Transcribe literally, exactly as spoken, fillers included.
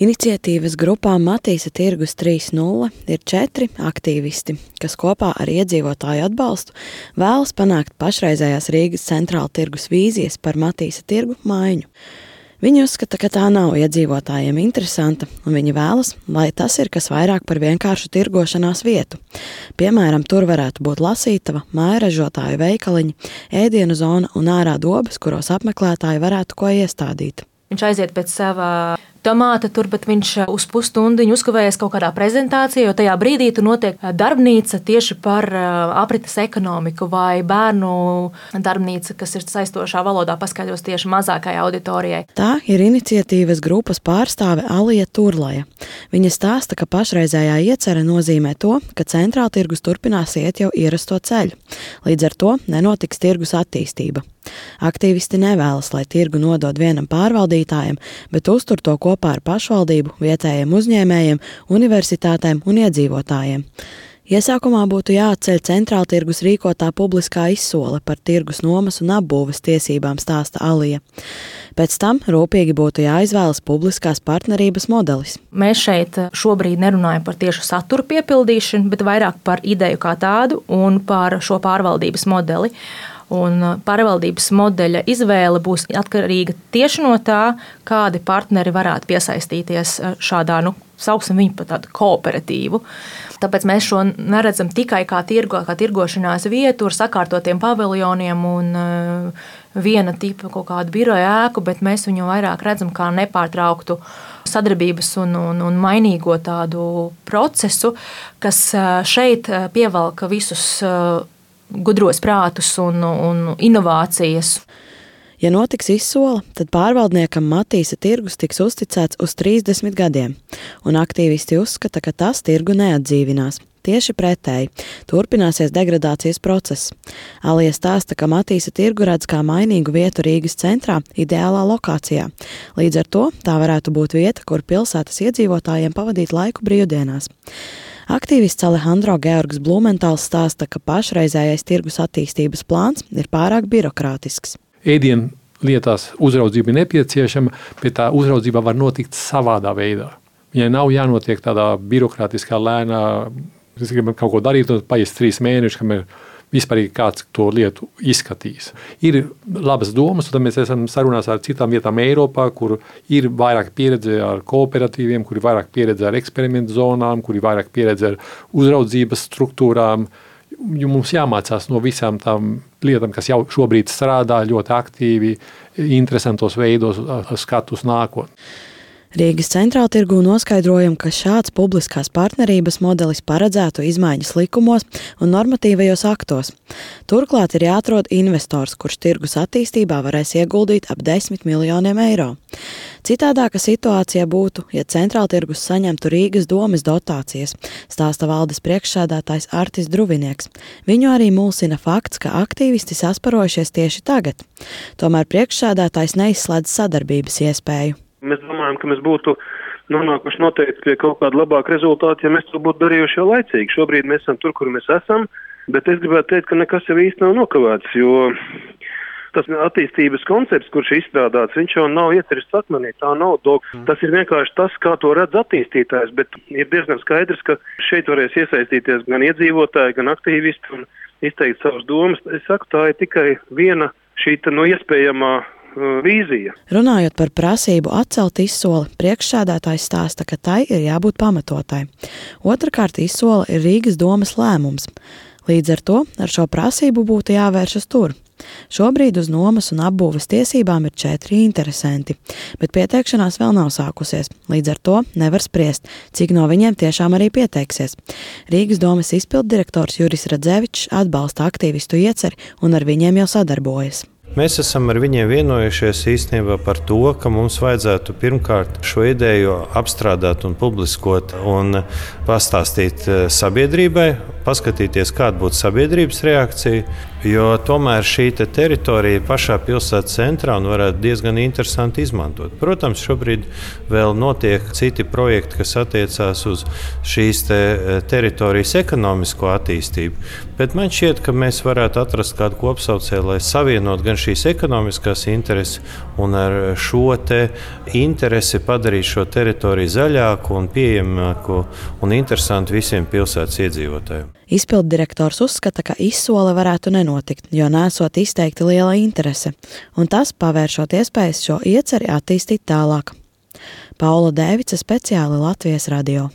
Iniciatīvas grupā Matīsa tirgus trīs nulle ir četri aktīvisti, kas kopā ar iedzīvotāju atbalstu vēlas panākt pašreizējās Rīgas centrāla tirgus vīzijas par Matīsa tirgu maiņu. Viņi uzskata, ka tā nav iedzīvotājiem interesanta, un viņi vēlas, lai tas ir kas vairāk par vienkāršu tirgošanās vietu. Piemēram, tur varētu būt lasītava, mājražotāju veikaliņi, ēdienu zona un ārā dobas, kuros apmeklētāji varētu ko iestādīt. Viņš aiziet pēc sava tomāta tur, bet viņš uz pusstundiņu uzkavējas kaut kādā prezentācijā, jo tajā brīdī tur notiek darbnīca tieši par aprites ekonomiku vai bērnu darbnīca, kas ir saistošā valodā paskaidros tieši mazākajai auditorijai. Tā ir iniciatīvas grupas pārstāve Alija Turlaja. Viņa stāsta, ka pašreizējā iecere nozīmē to, ka centrāla tirgus turpinās iet jau ierasto ceļu. Līdz ar to nenotiks tirgus attīstība. Aktīvisti nevēlas, lai tirgu nodod vienam pārvaldītājam, bet uztur to kopā ar pašvaldību, vietējiem uzņēmējiem, universitātēm un iedzīvotājiem. Iesākumā būtu jāatceļ centrāla tirgus rīkotā publiskā izsole par tirgus nomas un apbūves tiesībām, stāsta Alija. Pēc tam rūpīgi būtu jāizvēlas publiskās partnerības modelis. Mēs šeit šobrīd nerunājam par tiešu satura piepildīšanu, bet vairāk par ideju kā tādu un par šo pārvaldības modeli. Un pārvaldības modeļa izvēle būs atkarīga tieši no tā, kādi partneri varētu piesaistīties šādā, nu, sauksim viņu par tādu kooperatīvu. Tāpēc mēs šo neredzam tikai kā tirgo, kā tirgošanās vietu ar sakārtotiem paviljoniem un uh, viena tipa kaut kādu biroja ēku, bet mēs viņu vairāk redzam kā nepārtrauktu sadarbības un, un, un mainīgo tādu procesu, kas šeit pievelka visus uh, gudros prātus un, un inovācijas. Ja notiks izsola, tad pārvaldniekam Matīsa tirgus tiks uzticēts uz trīsdesmit gadiem, un aktīvisti uzskata, ka tas tirgu neatdzīvinās. Tieši pretēji, turpināsies degradācijas process. Alija stāsta, ka Matīsa tirgu redz kā mainīgu vietu Rīgas centrā, ideālā lokācijā. Līdz ar to tā varētu būt vieta, kur pilsētas iedzīvotājiem pavadīt laiku brīvdienās. Aktīvists Alejandro Georgs Blumentāls stāsta, ka pašreizējais tirgus attīstības plāns ir pārāk birokrātisks. Ēdienu lietās uzraudzība ir nepieciešama, bet tā uzraudzība var notikt savādā veidā. Viņai nav jānotiek tādā birokrātiskā lēnā, es gribu kaut ko darīt, un paies trīs mēneši, kamēr vispārīgi kāds to lietu izskatīs. Ir labas domas, un tad mēs esam sarunās ar citām vietām Eiropā, kur ir vairāk pieredze ar kooperatīviem, kur ir vairāk pieredze ar eksperimentu zonām, kur ir vairāk pieredze ar uzraudzības struktūrām. Jo mums jāmācās no visām tām lietām, kas jau šobrīd strādā ļoti aktīvi, interesantos veidos, skatu uz nākotni. Rīgas centrāla tirgū noskaidrojam, ka šāds publiskās partnerības modelis paredzētu izmaiņas likumos un normatīvajos aktos. Turklāt ir jāatrod investors, kurš tirgus attīstībā varēs ieguldīt ap desmit miljoniem eiro. Citādāka situācija būtu, ja centrāla tirgus saņemtu Rīgas domes dotācijas, stāsta valdes priekšsēdētājs Artis Druvinieks. Viņu arī mulsina fakts, ka aktīvisti sasparojušies tieši tagad. Tomēr priekšsēdētājs neizslēdz sadarbības iespēju. Mēs domājam, ka mēs būtu nonākuši noteikti pie kaut kāda labāka rezultāta, ja mēs to būtu darījuši jau laicīgi. Šobrīd mēs esam tur, kur mēs esam, bet es gribētu teikt, ka nekas jau īsti nav nokavēts, jo tas attīstības koncepts, kurš ir izstrādāts, viņš jau nav iecerists akmenī, tā nav dog. Tas ir vienkārši tas, kā to redz attīstītājs, bet ir diezgan skaidrs, ka šeit varēs iesaistīties gan iedzīvotāji, gan aktīvisti un izteikt savas domas. Es saku, tā ir tikai viena šī no iespējamā vīzija. Runājot par prasību atcelt izsoli, priekšsēdētājs stāsta, ka tai ir jābūt pamatotai. Otrakārt, izsola ir Rīgas domes lēmums. Līdz ar to ar šo prasību būtu jāvēršas tur. Šobrīd uz nomas un apbūves tiesībām ir četri interesanti, bet pieteikšanās vēl nav sākusies. Līdz ar to nevar spriest, cik no viņiem tiešām arī pieteiksies. Rīgas domes izpilddirektors Juris Radzevičs atbalsta aktīvistu ieceri un ar viņiem jau sadarbojas. Mēs esam ar viņiem vienojušies īstenībā par to, ka mums vajadzētu pirmkārt šo ideju apstrādāt un publiskot un pastāstīt sabiedrībai. paskatīties, kāda būtu sabiedrības reakcija, jo tomēr šī te teritorija pašā pilsētas centrā un varētu diezgan interesanti izmantot. Protams, šobrīd vēl notiek citi projekti, kas attiecās uz šīs te teritorijas ekonomisko attīstību, bet man šķiet, ka mēs varētu atrast kādu kopsaucēju, lai savienot gan šīs ekonomiskās intereses un ar šo te interesi padarīt šo teritoriju zaļāku un pieejamāku un interesantu visiem pilsētas iedzīvotājiem. Izpildu direktors uzskata, ka izsole varētu nenotikt, jo nesot izteikti liela interese, un tas pavēršot iespējas šo ieceri attīstīt tālāk. Paula Dēvica, speciāli Latvijas radio.